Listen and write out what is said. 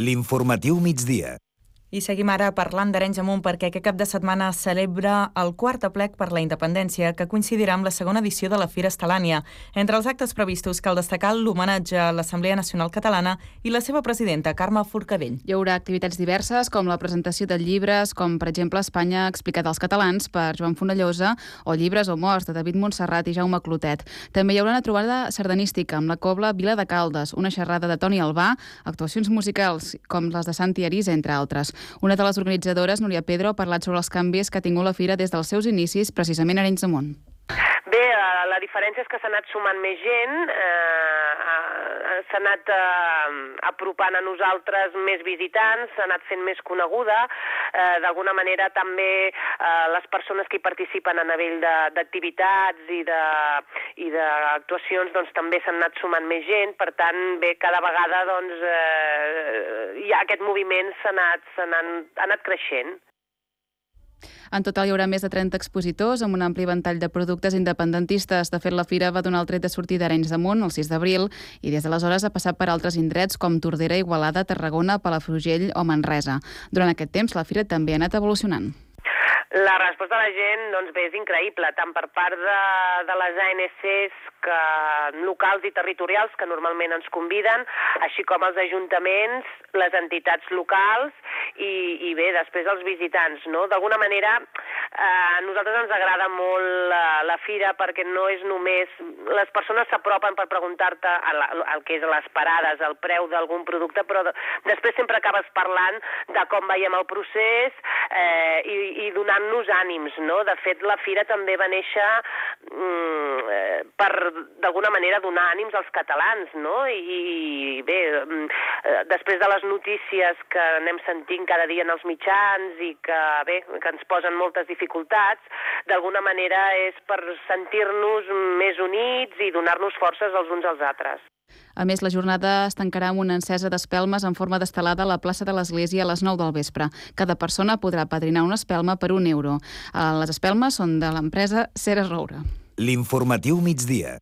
L'informatiu migdia. I seguim ara parlant d'Arenys de Munt perquè aquest cap de setmana es celebra el quart aplec per la independència, que coincidirà amb la segona edició de la Fira Estel·lània. Entre els actes previstos cal destacar l'homenatge a l'Assemblea Nacional Catalana i la seva presidenta, Carme Forcadell. Hi haurà activitats diverses, com la presentació de llibres, com per exemple Espanya explicat als catalans per Joan Fonellosa, o Llibres o morts de David Montserrat i Jaume Clotet. També hi haurà una trobada sardanística amb la cobla Vila de Caldes, una xerrada de Toni Albà, actuacions musicals com les de Santi Arís, entre altres. Una de les organitzadores, Núria Pedro, ha parlat sobre els canvis que ha tingut la fira des dels seus inicis, precisament a Arenys de Munt. Bé, la diferència és que s'ha anat sumant més gent, s'ha anat apropant a nosaltres més visitants, s'ha anat fent més coneguda. D'alguna manera també les persones que hi participen a nivell d'activitats i d'actuacions doncs, també s'han anat sumant més gent. Per tant, bé, cada vegada doncs, ja aquest moviment ha anat creixent. En total hi haurà més de 30 expositors amb un ampli ventall de productes independentistes. De fet, la fira va donar el tret de sortida d'Arenys de Munt el 6 d'abril i des d'aleshores ha passat per altres indrets com Tordera, Igualada, Tarragona, Palafrugell o Manresa. Durant aquest temps, la fira també ha anat evolucionant. La resposta de la gent, doncs bé, és increïble, tant per part de les ANCs locals i territorials que normalment ens conviden, així com els ajuntaments, les entitats locals i bé, després els visitants, no? D'alguna manera, a nosaltres ens agrada molt la fira perquè no és només... Les persones s'apropen per preguntar-te el que és les parades, el preu d'algun producte, però després sempre acabes parlant de com veiem el procés i donant-nos ànims, no? De fet, la fira també va néixer per, d'alguna manera, donar ànims als catalans, no? I bé, després de les notícies que anem sentint cada dia en els mitjans i que, bé, que ens posen moltes dificultats, d'alguna manera és per sentir-nos més units i donar-nos forces els uns als altres. A més, la jornada es tancarà amb una encesa d'espelmes en forma d'estelada a la plaça de l'Església a les 9 del vespre. Cada persona podrà padrinar una espelma per €1. Les espelmes són de l'empresa Ceres Roure. L'informatiu migdia.